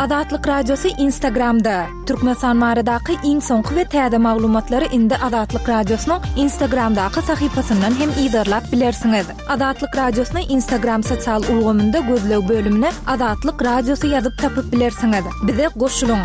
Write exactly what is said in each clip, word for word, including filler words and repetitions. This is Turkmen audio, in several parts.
Azatlyk Radiosy Instagramda. Türkmenistan baradaky iň soňky we täze maglumatlary indi Azatlyk Radiosynyň Instagramdaky sahypasyndan hem yzarlap bilersiňiz. Azatlyk Radiosyny Instagram sosial ulgamynda gözleg bölümine Azatlyk Radiosy ýazyp tapyp bilersiňiz. Bize goşulyň.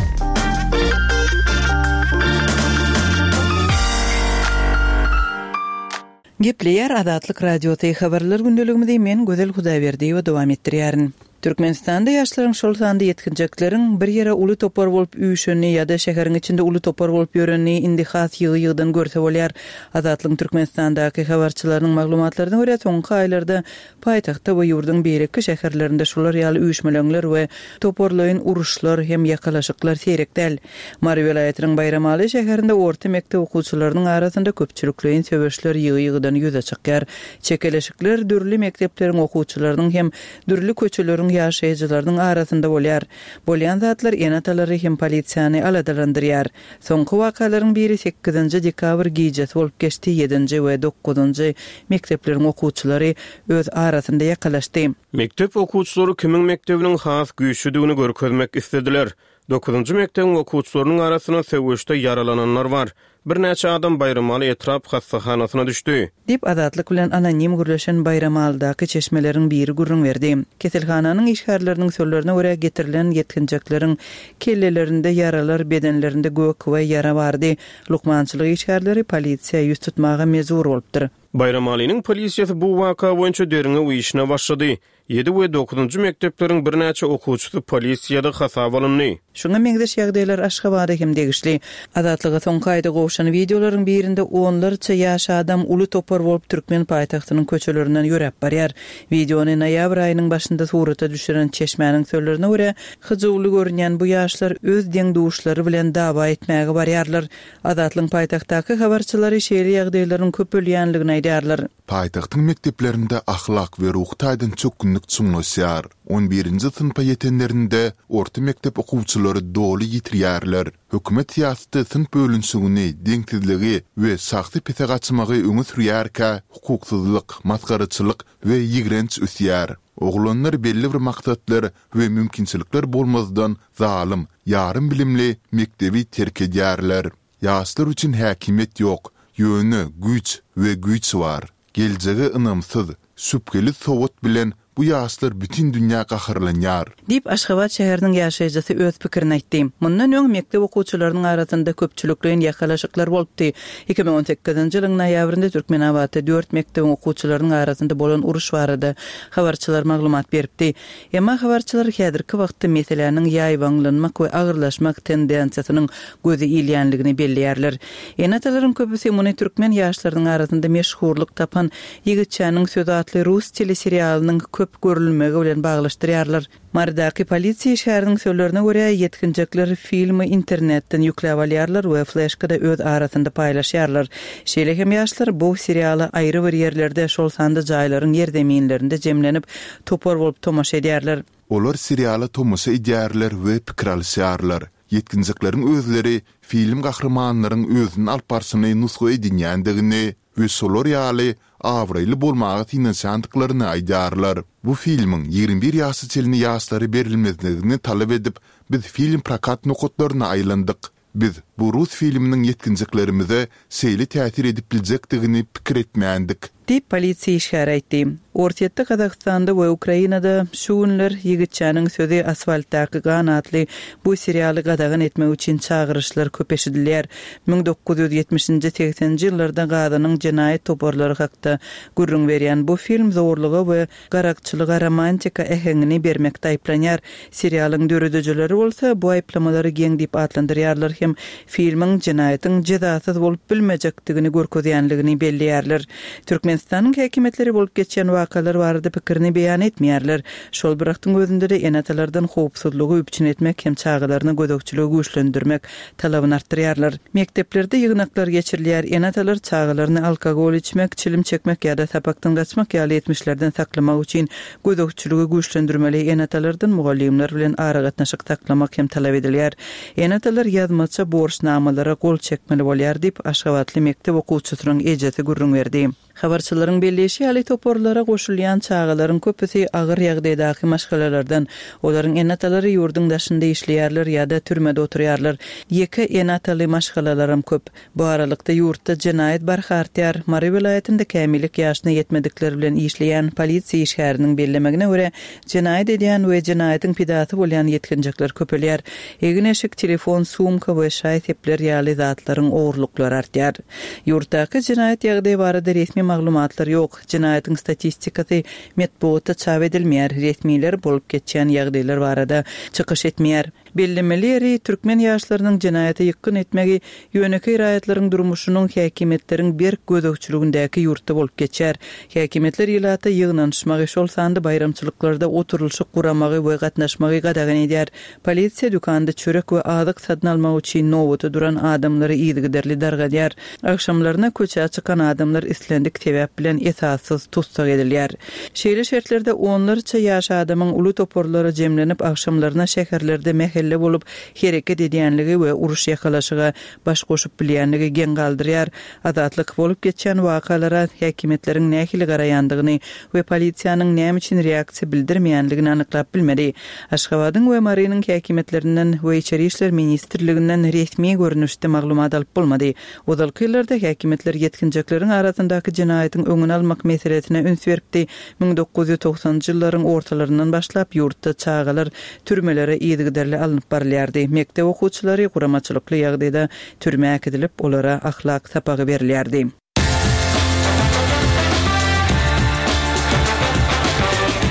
Gepleýär Azatlyk Radiosy habarlar gündeligimizi men Gözel Hudaýberdiýewa dowam etdirýärin. Türkmenistanda ýaşlaryň şol sanda ýetginjekleriň bir ýere uly topar bolup üýşenini ýa-da şäheriň içinde uly topar bolup ýörenini indi has ýygy-ýygydan görse bolýar. Azatlygyň Türkmenistandaky habarçylarynyň maglumatlaryna görä soňky aýlarda paýtagtda we ýurduň beýleki şäherlerinde şular ýaly üýşmeleňler we toparlaýyn uruşlar hem ýakalaşyklar seýrek däl. Mary welaýatynyň Baýramaly şäherinde orta mekdep okuwçylarynyň arasynda köpçülikleýin söweşler ýygy-ýygydan ýüze çykýar. Çekeleşikler dürli mekdepleriň okuwçylarynyň hem dürli köçeleriň ýaşaýjylarynyň arasynda bolýar. Bolýan zatlar ene-atalary hem polisiýany aladalandyrýar. Soňky wakalaryň biri sekizinji dekabr gijesi bolup geçdi, ýedinji we dokuzynjy mekdepleriň okuwçylary öz arasynda ýakalaşdy. Mekdep okuwçylary kimiň mekdebiniň has güýçlüdigini görkezmek istediler. Dokuzynjy mekdebiň okuwçylarynyň arasynda söweşde ýaralananlar bar. Birnäçe adam Baýramaly etrap hassahanasyna düşdi. Diýip Azatlyk bilen anonim gürleşen Baýramalydaky çeşmeleriň biri gürrüň berdi. Keselhananyň işgärleriniň sözlerine görä getirilen ýetginjekleriň kellelerinde ýaralar, bedenlerinde gök we ýara bardy. Lukmançylyk işgärleri polisiýa ýüz tutmaga mejbur bolupdyr. Baýramalynyň polisiýasy bu waka boýunça derňew işine başlady. Ýedi we dokuzynjy mekdepleriň birnäçe okuwçysy polisiýada hasaba alyndy. Şuňa meňzeş ýagdaýlar Aşgabada hem degişli. Azatlyga soňky aýda gowşan wideolaryň birinde onlarça ýaş adam uly topar bolup türkmen paýtagtynyň köçelerinden ýöräp barýar. Wideony noýabr aýynyň başynda surata düşüren çeşmäniň sözlerine görä, hyjuwly görünýän bu ýaşlar öz deň-duşlary bilen dawa etmäge barýarlar. Azatlygyň paýtagtdaky habarçylary şeýle ýagdaýlaryň köpelýänligini aýdýarlar. Paýtagtyň mekdeplerinde ahlak we ruhy taýdan çökgünlik çuňlaşýar. On birinji synpa ýetenlerinde orta mekdep okuwçylary doly ýitirýärler. Hökümet syýasaty synp bölünişigini, deňsizligi we şahsy pese gaçmagy öňe sürýärkä, hukuksyzlyk, masgaraçylyk we ýigrenç ösýär. Oglanlar belli bir maksatlar we mümkinçilikler bolmazdan zalym, ýarym bilimli mekdebi terk edýärler. Ýaşlar üçin häkimiýet ýok, ýöne güýç we güýç bar. Geljege ynamsyz, şübheli sowat bilen bu ýaşlar bütin dünýä gaharlanýar. Diýip Aşgabat şäheriniň ýaşaýjysy öz pikirini aýtdy. Mundan öň mekdep okuwçylarynyň arasynda köpçülikleýin ýakalaşyklar bolupdy. Iki müň on sekizinji ýylyň noýabrynda Türkmenabatda dört mekdebiň okuwçylarynyň arasynda bolan uruş barada habarçylar maglumat beripdi. Emma habarçylar häzirki wagtda meseläniň ýaýbaňlanmak we agyrlaşmak tendensiýasynyň gözi ilýänligini belleýärler. Ene-atalaryň köpüsi muny türkmen ýaşlarynyň arasynda meşhurlyk tapan Ýigitçäniň sözi atly rus teleserialynyň köp görülmegi bilen baglaşdyrýarlar. Marydaky polisiýa işgäriniň sözlerine görä, ýetginjekler filmi internetden ýükläp alýarlar we fleşkada öz arasynda paýlaşýarlar. Şeýle hem ýaşlar bu seriala aýry bir ýerlerde, şol sanda jaýlaryň ýerzeminlerinde jemlenip, topar bolup tomaşa edýärler. Olar seriala tomaşa edýärler we pikir alyşýarlar. Ýetginjekleriň özleri film gahrymanlaryň özüni alyp barşyny nusga edinýändigini we şolar ýaly abraýly bolmaga synanyşýandyklaryny aýdýarlar. Bu filmiň ýigrimi bir ýaşa çenli ýaşlara berilmezligini talap edip, biz film prokat nokatlaryna aýlandyk. Biz bu rus filminiň ýetginjeklerimize şeýle täsir edip biljekdigini pikir etmändik. Diýip, polisiýa işgäri aýtdy. Orsýetde, Gazagystanda we Ukrainada şu günler Ýigitçäniň sözi asfaltdaky gan atly bu serialy gadagan etmek üçin çagyryşlar köp eşidilýär. Müň dokuz ýüz ýetmişinji, segseninji ýyllarda Gazanyň jenaýat toparlary hakda gürrüň berýän bu film zorluga we garakçylyga romantika äheňini bermekde aýyplanýar. Serialyň döredijileri bolsa bu aýyplamalary geň diýip atlandyrýarlar hem filmiň jenaýatyň jezasyz bolup bilmejekdigini görkezýänligini belleýärler. Türkmenistanyň häkimiýetleri bolup geçýän wakalar barada pikirini beýan etmeýärler. Şol bir wagtyň özünde-de ene-atalardan howpsuzlygy üpjün etmek hem çagalaryna gözegçiligi güýçlendirmek talabyny artdyrýarlar. Mekdeplerde ýygnaklar geçirilýär, ene-atalar çagalaryny alkogol içmek, çilim çekmek ýa-da sapakdan gaçmak ýaly etmişlerden saklamak üçin gözegçiligi güýçlendirmeli, ene-atalardan mugallymlar bilen aragatnaşyk saklamak hem talap edilýär. Ene-atalar ýazmaça borçnamalara gol çekmeli bolýar diýip, aşgabatly mekdep okuwçysynyň ejesi gürrüň berdi. Habarçylaryň belleýşi ýaly toparlara goşulýan çagalaryň köpüsi agyr ýagdaýdaky maşgalalardan. Olaryň ene-atalary ýurduň daşynda işleýärler ýa-da türmede oturýarlar. Ýeke ene-ataly maşgalalaram köp. Bu aralykda ýurtda jenaýat barha artýar. Mary welaýatynda kämillik ýaşyna ýetmedikler bilen işleýän polisiýa işgäriniň bellemegine görä, jenaýat edýän we jenaýatyň pidasy bolýan ýetginjekler köpelýär. Egin-eşik, telefon, sumka we şaý-sepler ýaly zatlaryň ogurlyklary artýar. Ýurtdaky jenaýat ýagdaýy barada resmi maglumatlar ýok. Jenaýatyň statistikasy metbugatda çap edilmeýär. Resmiler bolup geçýän ýagdaýlar barada çykyş etmeýär. Bellemeli ýeri türkmen ýaşlarynyň jenaýata ýykgyn etmegi ýönekeý raýatlaryň durmuşynyň häkimiýetleriň berk gözegçiligindäki ýurtda bolup geçýär. Häkimiýetler ilata ýygnanyşmagy, şol sanda baýramçylyklarda oturylyşyk guramagy we gatnaşmagy gadagan edýär. Polisiýa dükanda çörek we azyk satyn almak üçin nobata duran adamlary yzygiderli dargadýar. Agşamlaryna köçä çykan adamlar islendik sebäp bilen esassyz tussag edilýär. Şeýle şertlerde onlarça ýaş adamyň uly toparlara jemlenip agşamlaryna şäherlerde mähelle bolup hereket edýänligi we uruş ýakalaşyga baş goşup bilýänligi geň galdyrýar. Azatlyk bolup geçýän wakalara häkimiýetleriň nähili garaýandygyny we polisiýanyň näme üçin reaksiýa bildirmeýänligini anyklap bilmedi. Aşgabadyň we Marynyň häkimiýetlerinden we Içeri işler ministrliginden resmi görnüşde maglumat alyp bolmady. Ozalky ýyllarda häkimiýetler ýetginjekleriň arasyndaky jenaýatyň öňüni almak meselesine üns beripdi. Müň dokuz ýüz togsanjy ýyllaryň ortalaryndan başlap ýurtda çagalar türmelere yzygiderli alnyp barylýardy. Mekdep okuwçylary guramaçylykly ýagdaýda türmä äkidilip, olara ahlak sapagy berilýärdi.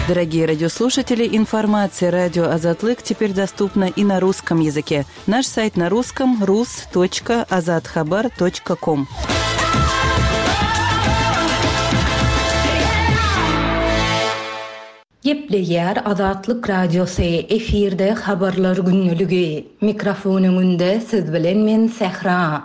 Дорогие радиослушатели, информация радио Азатлык теперь доступна и на русском языке. Наш сайт на русском рус точка азатхабар точка ком. Gepleýär Azatlyk Radiosy, efirde habarlar günlügi. Mikrofon öňünde siz bilen men Sähra.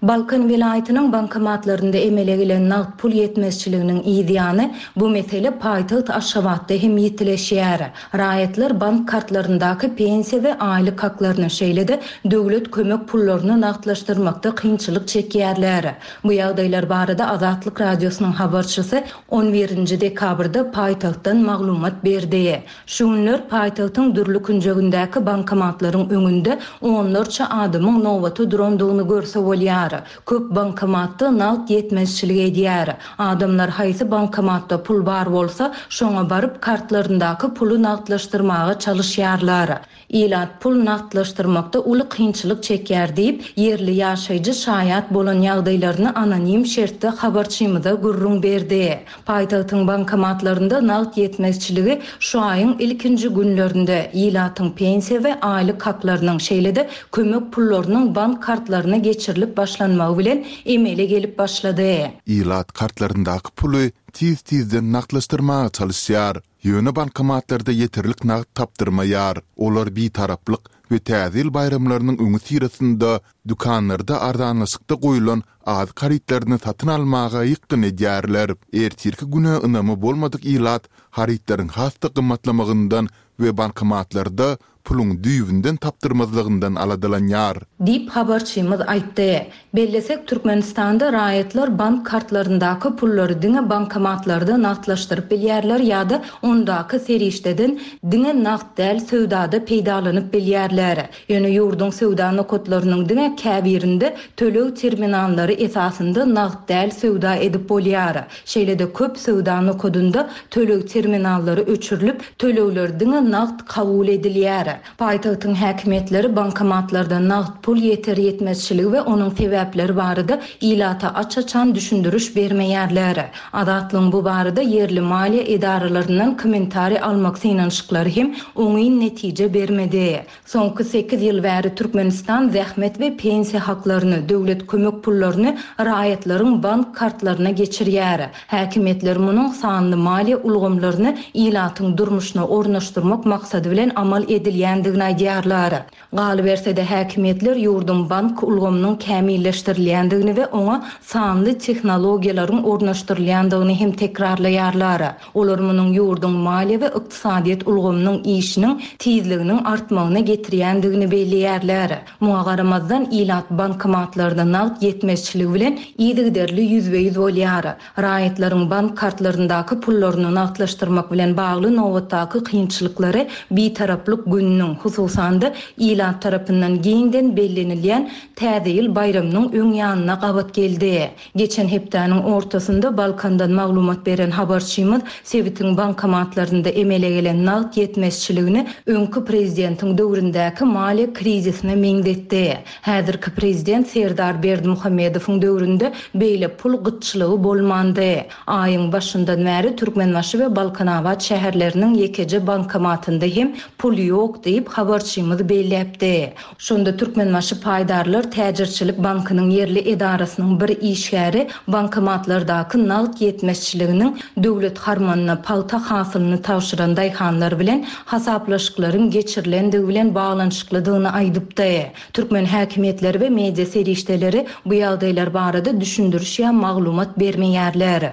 Balkan welaýatynyň bankomatlarynda emele gelen nagt pul ýetmezçiliginiň ýany bu mesele paýtagt Aşgabatda hem ýetileşýär. Raýatlar bank kartlaryndaky pensiýa we aýlyk haklaryny şeýle-de döwlet kömek pullaryny nagtlaşdyrmakda kynçylyk çekýärler. Bu ýagdaýlar barada Azatlyk Radiosynyň habarçysy on birinji dekabrda paýtagtdan maglumat berdi. Şu günler paýtagtyň dürli künjegindäki bankomatlaryň öňünde onlarça adamyň nobaty durandygyny görse bolýar. Köp bankomatda nagt ýetmezçilik edýär. Adamlar haýsy bankomatda pul bar bolsa, şoňa baryp kartlaryndaky puly nagtlaşdyrmaga çalyşýarlar. Ilat pul nagtlaşdyrmakda uly kynçylyk çekýär diýip, ýerli ýaşaýjy şaýat bolan ýagdaýlaryny anonim şertde habarçymyza gürrüň berdi. Paýtagtyň bankomatlarynda nagt ýetmezçiligi şu aýyň ilkinji günlerinde ilatyň pensiýa we aýlyk haklarynyň şeýle-de kömek pullarynyň bank kartlaryna geçirilip başlanmagy bilen emele gelip başlady. Ilat kartlaryndaky puly tiz-tizden nagtlaşdyrmaga çalyşýar. Ýöne bankomatlarda ýeterlik nagt tapdyrmaýar. Olar bitaraplyk we täze ýyl baýramlarynyň öňi syrasynda dükanlarda arzanlaşykda goýulan azyk harytlaryny satyn almaga ýykgyn edýärler. Ertirki güne ynamy bolmadyk ilat harytlaryň has-da gymmatlamagyndan we bankomatlarda puluň düýbünden tapdyrmazlygyndan aladalanýar. Diýip habarçymyz aýtdy. Bellesek Türkmenistanda raýatlar bank kartlaryndaky pullary diňe bankomatlarda nagtlaşdyryp bilýärler ýa-da ondaky serişdeden diňe nagt däl söwdada peýdalanyp bilýärler. Ýöne ýurduň söwda nokatlarynyň diňe käbirinde töleg terminallary esasynda nagt däl söwda edip bolýar. Şeýle-de köp söwda nokadynda töleg terminallary öçürilip, tölegler diňe nagt kabul edilýär. Paýtagtyň häkimiýetleri bankomatlarda nagt pul ýeter ýetmezçiligi we onuň sebäpleri barada ilata aç-açan düşündiriş bermeýärler. Azatlygyň bu barada ýerli maliýe edaralaryndan kommentariý almak synanyşyklary hem oňyn netije bermedi. Soňky sekiz ýyl bäri Türkmenistan zähmet we pensiýa haklaryny, döwlet kömek pullaryny raýatlaryň bank kartlaryna geçirýär. Häkimiýetler munuň sanly maliýe ulgamlaryny ilatyň durmuşyna ornaşdyrmak maksady bilen amal edilýär gelýändigini aýdýarlar. Galyberse-de häkimiýetler ýurduň bank ulgamynyň kämilleşdirilýändigini we oňa sanly tehnologiýalaryň ornaşdyrylýandygyny hem tekrarlaýarlar. Olar munuň ýurduň maliýe we ykdysadyýet ulgamynyň işiniň tizliginiň artmagyna getirýändigini belleýärler. Muňa garamazdan ilat bankomatlarda nagt ýetmezçiligi bilen yzygiderli ýüzbe-ýüz bolýar. Raýatlaryň bank kartlaryndaky pullaryny nagtlaşdyrmak bilen bagly nobatdaky kynçylyklary bitaraplyk gününiň, hususan-da ilat tarapyndan giňden bellenilýän Täze ýyl baýramynyň öň ýanyna gabat geldi. Geçen hepdäniň ortasynda Balkandan maglumat beren habarçymyz sebitiň bankomatlarynda emele gelen nagt ýetmezçiligini öňki prezidentiň döwründäki maliýe krizisine meňzetdi. Häzirki prezident Serdar Berdimuhamedowyň döwründe beýle pul gytçylygy bolmandy. Aýyň başyndan bäri Türkmenbaşy we Balkanabat şäherleriniň ýekeje bankomatynda hem pul ýok diýip habarçymyz belläpdi. Şonda Türkmenbaşy paýdarlar täjirçilik bankynyň ýerli edarasynyň bir işgäri bankomatlardaky nagt ýetmezçiliginiň döwlet harmanyna pagta hasylyny tabşyran daýhanlar bilen hasaplaşyklaryň geçirilendigi bilen baglanyşyklydygyny aýdypdy. Türkmen häkimiýetleri we media serişdeleri bu ýagdaýlar barada düşündiriş ýa maglumat bermeýärler.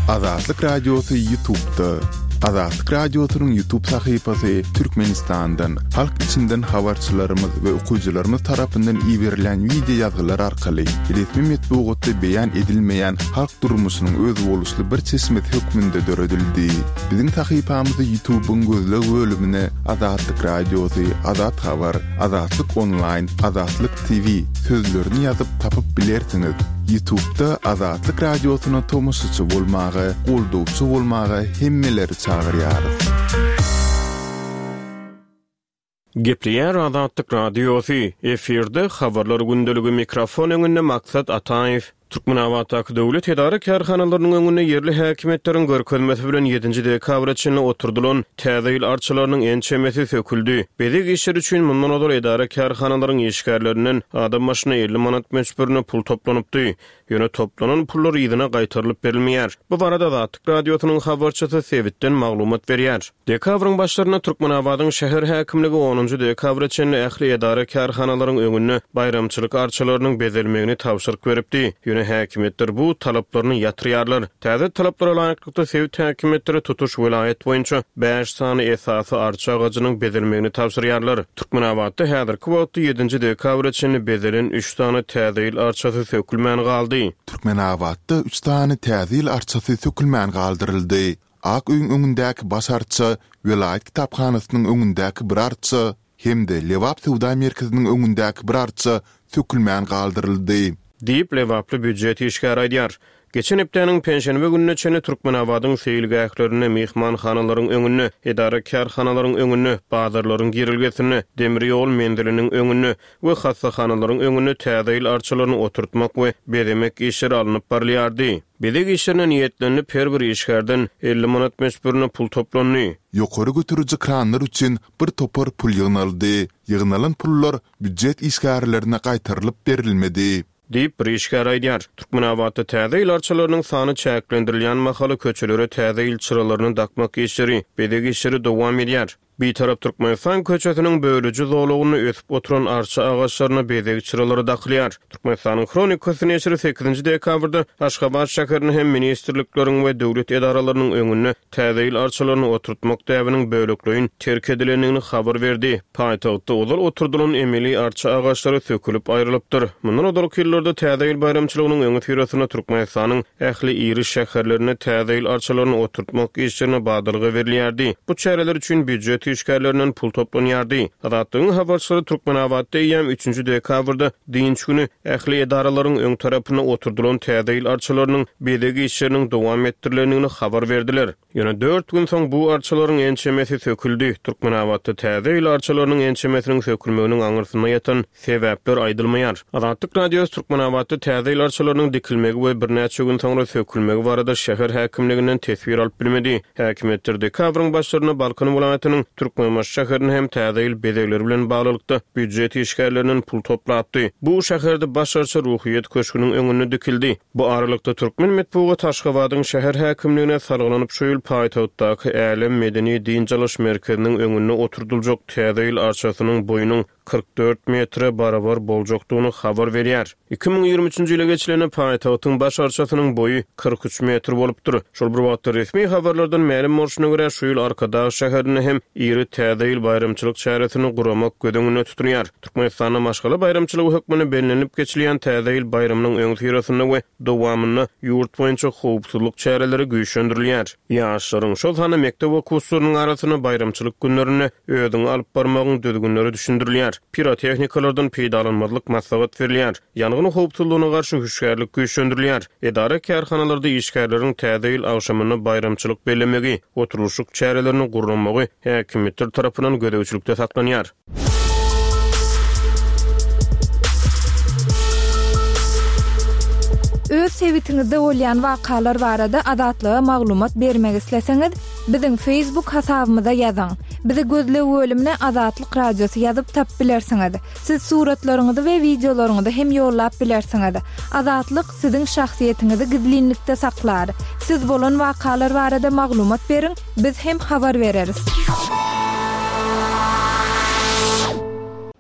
Azatlyk Radiosy YouTube'da. Azatlyk Radiosynyň YouTube sahypasy Türkmenistandan, halk içinden habarçylarymyz we okyjylarymyz tarapyndan iberilen wideo ýazgylar arkaly resmi metbugatda beýan edilmeýän halk durmuşynyň özboluşly bir çeşmesi hökmünde döredildi. Biziň sahypamyzy YouTube'yň gözleg bölümine Azatlyk Radiosy, Azat Habar, Azatlyk Online, Azatlyk T V sözlerini ýazyp tapyp bilersiňiz. YouTube'da Azatlyk Radiosyna tomaşaçy bolmaga, goldawçy bolmaga hemmeleri çagyrýarys. Gepleýär Azatlyk Radiosy, efirde habarlar gündeligi, mikrofon öňünde Maksat Ataýew. Türkmenabatdaky döwlet edara kärhanalarynyň öňünde ýerli häkimiýetleriň görkezmesi bilen ýedinji dekabra çenli oturdylan Täze ýyl arçalarynyň ençemesi söküldi. Bezeg işleri üçin mundan ozal edara kärhanalaryň işgärlerinden adam başyna elli manat möçberinde pul toplanypdy. Ýöne toplanan pullar yzyna gaýtarylyp berilmeýär. Bu barada Azatlyk Radiosynyň habarçysy sebitden maglumat berýär. Dekabryň başlarynda Türkmenabadyň şäher häkimligi onunjy dekabra çenli ähli edara kärhanalaryň öňünde baýramçylyk arçalarynyň bezelmegini tabşyryk beripdi. Ýöne häkimiýetler bu talaplaryny ýatyrýarlar. Täze talaplara laýyklykda sebit häkimiýetleri tutuş welaýat boýunça bäş sany esasy arça agajynyň bezelmegini tabşyrýarlar. Türkmenabatda häzirki wagtda ýedinji dekabra çenli bezelen üç sany täze ýyl arçasy sökülmän galdy. Türkmenabatda üç sany täze ýyl arçasy sökülmän galdyryldy. Ak öýüň öňündäki baş arça, welaýat kitaphanasynyň öňündäki bir arça hem-de Lebap söwda merkeziniň öňündäki bir arça sökülmän galdyryldy. Diýip Lebaply býujet işgäri aýdýar. Geçen hepdäniň penşenbe gününe çenli Türkmenabadyň seýilgählerinde, mehmanhanalaryň öňünde, edara kärhanalaryň öňünde, bazarlaryň girilgesinde, demir ýol menziliniň öňünde we hassahanalaryň öňünde täze ýyl arçalaryny oturtmak we bezemek işleri alnyp barylýardy. Bezeg işlerine niýetlenip her bir işgärden elli manat möçberinde pul toplandy. Ýokary götüriji kranlar üçin bir topar pul ýygnaldy. Ýygnalan pullar býujet işgärlerine gaýtarylyp berilmedi. Diýip bir işgär aýdýar. Türkmenabatda täze ýyl arçalarynyň sany çäklendirilýän mahaly köçelere täze ýyl çyralaryny dakmak işleri, bezeg işleri dowam edýär. Bitarap Türkmenistan köçesiniň bölüji zolagynda ösüp oturan arça agaçlaryna bezeg çyralary dakylýar. Türkmenistanyň Hronikasy neşiri sekizinji dekabrda Aşgabat şäherinde hem ministrlikleriň we döwlet edaralarynyň öňünde täze ýyl arçalaryny oturtmak däbiniň bölekleýin terk edilendigini habar berdi. Paýtagtda ozal oturdylan emeli arça agaçlary sökülip aýrylypdyr. Mundan ozalky ýyllarda täze ýyl baýramçylygynyň öňi syrasynda Türkmenistanyň ähli iri şäherlerinde täze ýyl arçalaryny oturtmak işlerine badalga berilýärdi. Bu çäreler üçin býujet işgärlerinden pul toplanýardy. Azatlygyň habarçylary Türkmenabatda eýýäm üçünji dekabrda dynç güni ähli edaralaryň öň tarapynda oturdylan täze ýyl arçalarynyň bezeg işleriniň dowam etdirilendigini habar berdiler. Ýöne dört gün soň bu arçalaryň ençemesi söküldi. Türkmenabatda täze ýyl arçalarynyň ençemesiniň sökülmeginiň aňyrsynda ýatan sebäpler aýdylmaýar. Azatlyk Radiosy Türkmenabatda täze ýyl arçalarynyň dikilmegi we birnäçe gün soňra sökülmegi barada şäher häkimliginden teswir alyp bilmedi. Häkimiýetler dekabryň başlarynda Balkan welaýatynyň Türkmenbaşy şäherinde hem Täze ýyl bezegleri bilen baglylykda býujet işgärlerinden pul toplapdy. Bu şäherde baş arça Ruhyýet köşgüniň öňünde dikildi. Bu aralykda türkmen metbugaty Aşgabadyň şäher häkimligine salgylanyp şu ýyl paýtagtdaky Älem medeni dynç alyş merkeziniň öňünde oturdyljak Täze ýyl arçasynyň boýunyň kyrk dört metre barabar boljakdygyny habar berýär. Iki müň ýigrimi üçünji ýyla geçilende paýtagtyň baş arçasynyň boýy kyrk üç metr bolupdyr. Şol bir wagtda resmi habarlardan mälim bolşuna görä şu ýyl Arkadag şäherinde hem iri Täze ýyl baýramçylyk çäresini guramak göz öňünde tutulýar. Türkmenistanda maşgala baýramçylygy hökmünde bellenilip geçilýän Täze ýyl baýramynyň öňüsyrasynda we dowamynda ýurt boýunça howpsuzlyk çäreleri güýçlendirilýär. Ýaşlaryň, şol sanda mekdep okuwçylarynyň arasynda baýramçylyk günlerinde özüňi alyp barmagyň düzgünleri düşündirilýär. Pirotehnikalardan peýdalanmazlyk maslahat berilýär. Ýangyn howpsuzlygyna garşy hüşgärlik güýçlendirilýär. Edara kärhanalarda işgärleriň Täze ýyl agşamynda baýramçylyk bellemegi, oturylyşyk çärelerini guramagy häkimiýetler tarapyndan gözegçilikde saklanýar. Öz sebitiňizde bolýan wakalar barada Azatlyga maglumat bermek isleseňiz, biziň Facebook hasabymyza ýazyň. Bizi gözleg bölümine Azatlyk Radiosy ýazyp tap bilersiňiz. Siz suratlaryňyzy we wideolaryňyzy hem ýollap bilersiňiz. Azatlyk siziň şahsyýetiňizi gizlinlikde saklar. Siz bolan wakalar barada maglumat beriň, biz hem habar bereris.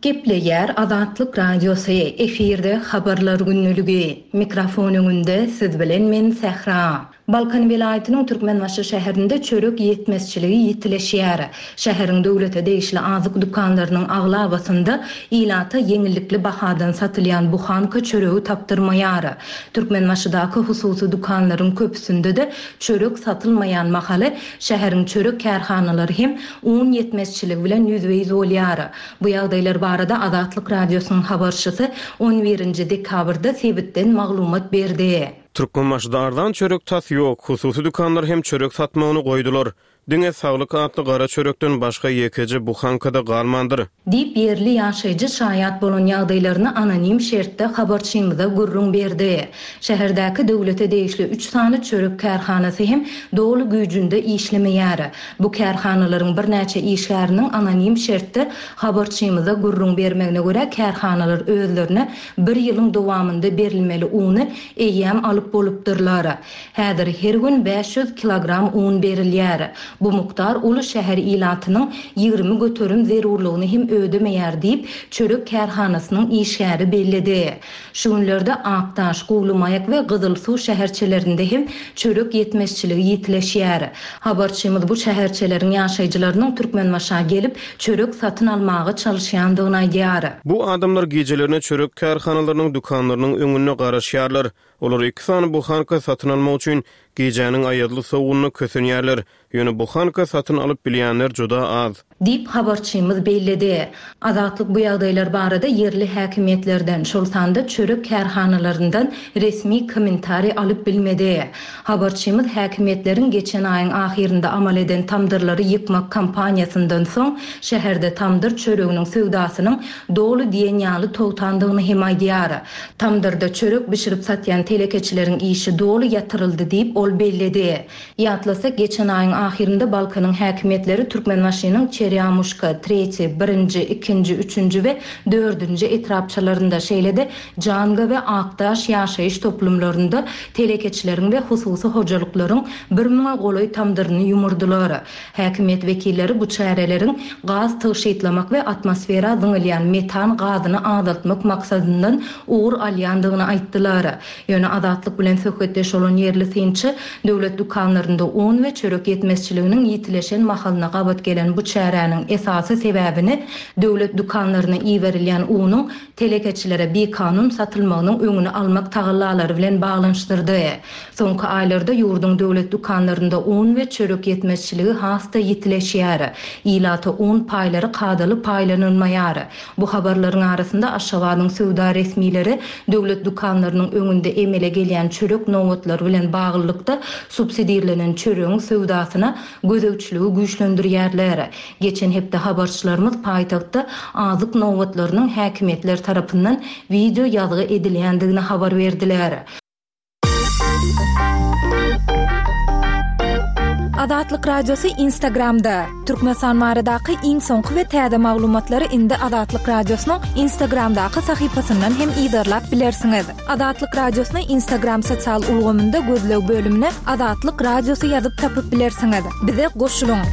Gepleýär Azatlyk Radiosy, efirde habarlar günlügi. Mikrofon öňünde siz bilen men Sähra. Balkan welaýatynyň Türkmenbaşy şäherinde çörek ýetmezçiligi ýitileşýär. Şäheriň döwlete degişli azyk dükanlarynyň aglabasynda ilata ýeňillikli bahadan satylýan buhanka çöregi tapdyrmaýar. Türkmenbaşydaky hususy dükanlaryň köpüsinde-de çörek satylmaýan mahaly şäheriň çörek kärhanalary hem un ýetmezçiligi bilen ýüzbe-ýüz bolýar. Bu ýagdaýlar barada Azatlyk Radiosynyň habarçysy on birinji dekabrda sebitden maglumat berdi. Türkmenbaşyda arzan çörek tas ýok, hususy dükanlar hem çörek satmagyny goýdular. Diňe saglyk atly gara çörekden başga ýekeje buhankada galmandyr. Diýip ýerli ýaşaýjy şaýat bolan ýagdaýlaryny anonim şertde habarçymyza gürrüň berdi. Şäherdäki döwlete degişli üç sany çörek kärhanasy hem doly güýjünde işlemeýär. Bu kärhanalaryň birnäçe işgäriniň anonim şertde habarçymyza gürrüň bermegine görä kärhanalar özlerine bir ýylyň dowamynda berilmeli uny eýýäm alyp bolupdyrlar. Häzir her gün bäş ýüz kilogram un berilýär. Bu mukdar uly şäher ilatynyň ýigrimi göterim zerurlygyny hem ödemeýär diýip çörek kärhanasynyň işgäri belledi. Şu günlerde Akdaş, Guwlymaýak we Gyzylsuw şäherçelerinde hem çörek ýetmezçiligi ýitileşýär. Habarçymyz bu şäherçeleriň ýaşaýjylarynyň Türkmenbaşa gelip çörek satyn almaga çalyşýandygyny aýdýar. Bu adamlar gecelerine çörek kärhanalarynyň dükanlarynyň öňünde garaşýarlar. Olar iki sany buhanka satyn almak üçin gecäniň aýazly sowugyny kösenýärler. Ýöne buhanka satyn alyp bilýänler juda az. Diýip habarçymyz belledi. Azatlyk bu ýagdaýlar barada ýerli häkimiýetlerden, şol sanda çörek kärhanalaryndan resmi kommentariý alyp bilmedi. Habarçymyz häkimiýetleriň geçen aýyň ahyrynda amal eden tamdyrlary ýykmak kampaniýasyndan soň şäherde tamdyr çöreginiň söwdasynyň doly diýen ýaly togtandygyny hem aýdýar. Tamdyrda çörek bişirip satýan telekeçileriň işi doly ýatyryldy diýip ol belledi. Ýatlasak, geçen aýyň ahyrynda Balkanyň häkimiýetleri Türkmenbaşynyň Çerýamuşka, Treti, birinji, ikinji, üçünji we dördünji etrapçalarynda, şeýle-de Janga we Akdaş ýaşaýyş toplumlarynda telekeçileriň we hususy hojalyklaryň bir müňe golaý tamdyryny ýumurdylar. Häkimiýet wekilleri bu çäreleriň gaz tygşytlamak we atmosfera zyňylýan metan gazyny azaltmak maksadyndan ugur alýandygyny aýtdylar. Ýöne Azatlyk bilen söhbetdeş bolan ýerli synçy döwlet dükanlarynda un we çörek ýetmezçiliginiň ýitileşen mahalyna gabat gelen bu çäräniň esasy sebäbini döwlet dükanlaryna iberilýän unuň telekeçilere bikanun satylmagynyň öňüni almak tagallalary bilen baglanyşdyrdy. Soňky aýlarda ýurduň döwlet dükanlarynda un we çörek ýetmezçiligi has-da ýitileşýär. Ilata un paýlary kadaly paýlanylmaýar. Bu habarlaryň arasynda Aşgabadyň söwda resmileri döwlet dükanlarynyň öňünde emele gelýän çörek nobatlary bilen baglylykda subsidirlenen çöregiň söwdasyna gözegçiligi güýçlendirýärler. Geçen hepde habarçylarymyz paýtagtda azyk nobatlarynyň häkimiýetler tarapyndan video ýazgy edilýändigini habar berdiler. Azatlyk Radiosy Instagramda. Türkmenistan baradaky iň soňky we täze maglumatlary indi Azatlyk Radiosynyň Instagramdaky sahypasyndan hem yzarlap bilersiňiz. Azatlyk Radiosyny Instagram sosial ulgamynda gözleg bölümine Azatlyk Radiosy ýazyp tapyp bilersiňiz. Bize goşulyň.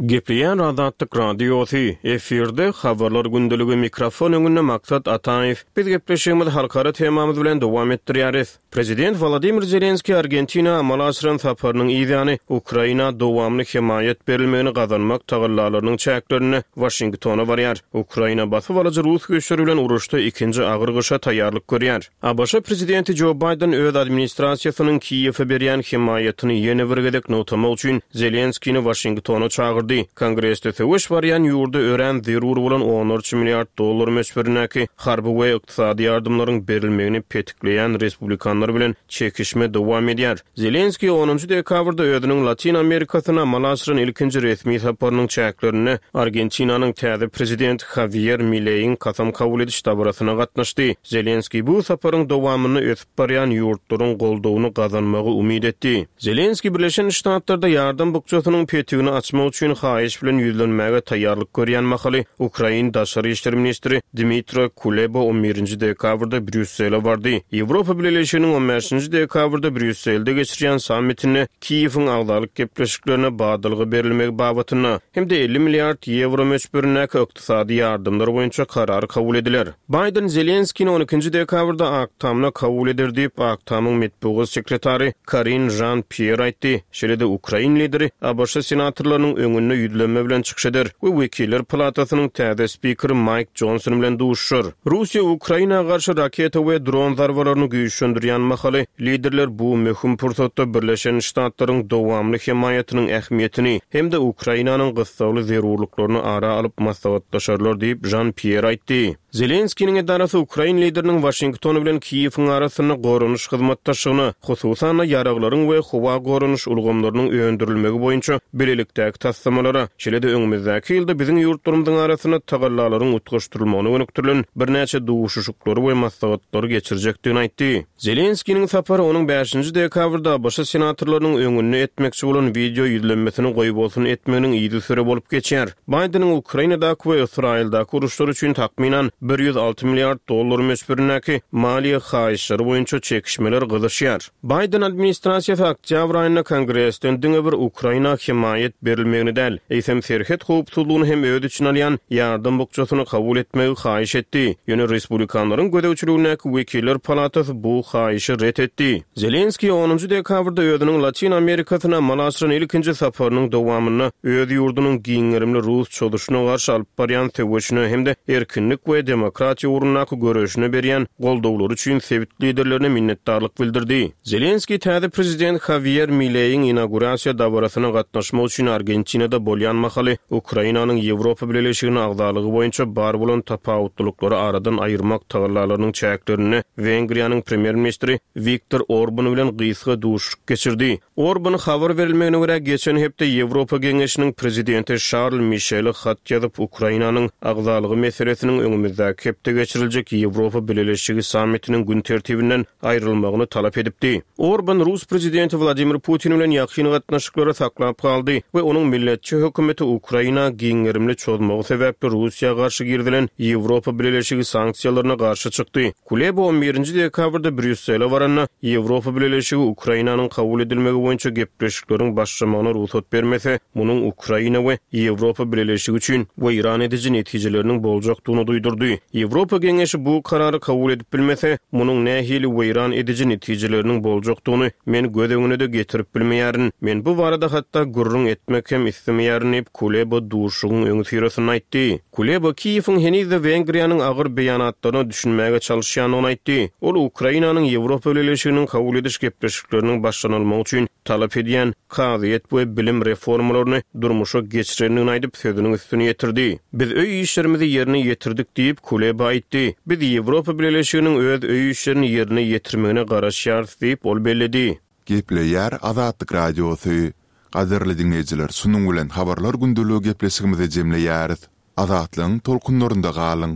Gepleýän Azatlyk Radiosy, efirde habarlar gündeligi mikrofon öňünde Maksat Ataýew. Biz gepleşigimizi halkara temamyz bilen dowam etdirýäris. Prezident Wladimir Zelenskiý Argentina amala aşyran saparynyň yzýany Ukraina dowamly hemaýat berilmegini gazanmak tagallalarynyň çäklerinde Waşingtona barýar. Ukraina basyp alyjy rus güýçleri bilen uruşda ikinji agyr gyşa taýýarlyk görýär. ABŞ prezidenti Jo Baýden öz administrasiýasynyň Kiýewe berýän hemaýatyny ýene bir gezek nygtamak üçin Zelenskini Waşingtona çagyrdy. Kongresde söweş barýan ýurda örän zerur bolan onlarça milliard dollar möçberindäki harby we ykdysady ýardamlaryň berilmegini petikleýän respublikanlar bilen çekişme dowam edýär. Zelenskiý onunjy dekabrda özüniň Latin Amerikasyna amala aşyran ilkinji resmi saparynyň çäklerinde Argentinanyň täze prezidenti Javier Mileiň kasam kabul ediş dabarasyna gatnaşdy. Zelenskiý bu saparyň dowamynda ösüp barýan ýurtlaryň goldawyny gazanmagy umyt etdi. Zelenskiý Birleşen Ştatlarda ýardam bukjasynyň petigini açmak üçin haýyş bilen ýüzlenmäge taýýarlyk görýän mahaly Ukrain Daşary işler ministri Dmitro Kuleba on birinji dekabrda Brýussele bardy. Ýewropa Bileleşiginiň on bäşinji dekabrda Brýusselde geçirýän sammitinde Kiýewiň agzalyk gepleşiklerine badalga berilmegi babatynda hem-de elli milliard ýewro möçberindäki ykdysady ýardamlar boýunça karar kabul ediler. Baýden Zelenskini on ikinji dekabrda Ak Tamda kabul eder diýip, Ak Tamyň metbugat sekretary Karin Jean-Pierre aýtdy. Şeýle-de Ukrain lideri ABŞ senatorlarynyň öňünde ýüzlenme bilen çykyş eder we Wekiller palatasynyň täze spikeri Maýk Johnson bilen duşuşar. Russiýa Ukraina garşy raketa we dron zarbalaryny güýçlendirýän mahaly liderler bu möhüm pursatda Birleşen Ştatlaryň dowamly hemaýatynyň ähmiýetini hem-de Ukrainanyň gyssagly zerurlyklaryny ara alyp maslahatlaşarlar diýip Jean-Pierre aýtdy. Zelenskiniň edarasy Ukrain lideriniň Waşington bilen Kiýewiň arasynda goranyş hyzmatdaşlygyna, hususan-da ýaraglaryň we howa goranyş ulgamlarynyň öndürilmegi boýunça bilelikdäki taslamalara, şeýle-de öňümizdäki ýylda biziň ýurtlarymyzyň arasynda tagallalaryň utgaşdyrylmagyna gönükdirilen birnäçe duşuşyklary we maslahatlary geçirjekdigini aýtdy. Zelenskiniň sapary onuň bäşinji dekabrda ABŞ senatorlarynyň öňünde etmekçi bolan wideo ýüzlenmesini goýbolsun etmeginiň yzysüre bolup geçýär. Baýdeniň Ukrainadaky we Ysraýyldaky uruşlar üçin takmynan bir ýüz alty milliard dollar möçberindäki maliýe haýyşlary boýunça çekişmeler gyzyşýar. Baýden administrasiýasy oktýabr aýynda Kongresden diňe bir Ukraina hemaýat berilmegini däl, eýsem serhet howpsuzlygyny hem öz içine alýan ýardam bukjasyny kabul etmegi haýyş etdi. Ýöne respublikanlaryň gözegçiligindäki Wekiller palatasy bu haýyşy ret etdi. Zelenskiý onunjy dekabrda özüniň Latin Amerikasyna amala aşyran ilkinji saparynyň dowamynda öz ýurdunyň giň gerimli rus çozuşyna garşy alyp barýan söweşine hem-de erkinlik we demokratiýa ugrundaky göreşine berýän goldawlary üçin sebit liderlerine minnetdarlyk bildirdi. Zelenskiý täze prezident Javier Mileiň inaugurasiýa dabarasyna gatnaşmak üçin Argentinada bolýan mahaly Ukrainanyň Ýewropa Bileleşigine agzalygy boýunça bar bolan tapawutlyklary aradan aýyrmak tagallalarynyň çäklerinde Wengriýanyň premýer-ministri Viktor Orban bilen gysga duşuşyk geçirdi. Orban habar berilmegine görä geçen hepde Ýewropa Geňeşiniň prezidenti Şarl Mişeli hat ýazyp Ukrainanyň agzalygy meselesiniň öňümizdäki hepde geçiriljek Ýewropa Bileleşigi sammitiniň gün tertibinden aýrylmagyny talap edipdi. Orban Rus prezidenti Wladimir Putin bilen ýakyn gatnaşyklary saklap galdy we onuň milletçi hökümeti Ukraina giň gerimli çozmagy sebäpli Russiýa garşy girizilen Ýewropa Bileleşigi sanksiýalaryna garşy çykdy. Kuleba on birinji dekabrda Brýussele baranda Ýewropa Bileleşigi Ukrainanyň kabul edilmegi boýunça gepleşikleriň başlamagyna rugsat bermese, munuň Ukraina we Ýewropa Bileleşigi üçin weýran ediji netijeleriniň boljakdygyny duýdurdy. Ýewropa Geňeşi bu karary kabul edip bilmese, munuň nähili weýran ediji netijeleriniň boljakdygyny men göz öňüne-de getirip bilmeýärin. Men bu barada hatda gürrüň etmek hem istemeýärin diýip Kuleba duşuşygyň öňüsyrasynda aýtdy. Kuleba Kiýewiň henizde Wengriýanyň agyr beýanatlaryna düşünmäge çalyşýandygyny aýtdy. Ol Ukrainanyň Ýewropa Bileleşiginiň kabul ediş gepleşikleriniň başlanylmagy üçin talap edýän kazyýet we bilim reformalaryny durmuşa geçirendigini aýdyp sözüniň üstüni ýetirdi. Biz öý işlerimizi ýerine ýetirdik diýip Kuleba aýtdy. Biz Ýewropa Bileleşiginiň öz öý işlerini ýerine ýetirmegine garaşýarys diýip ol belledi. Gepleýär Azatlyk Radiosy. Gadyrly diňleýjiler, şunuň bilen habarlar gündeligi gepleşigimizi jemleýäris. Azatlygyň tolkunlarynda galyň.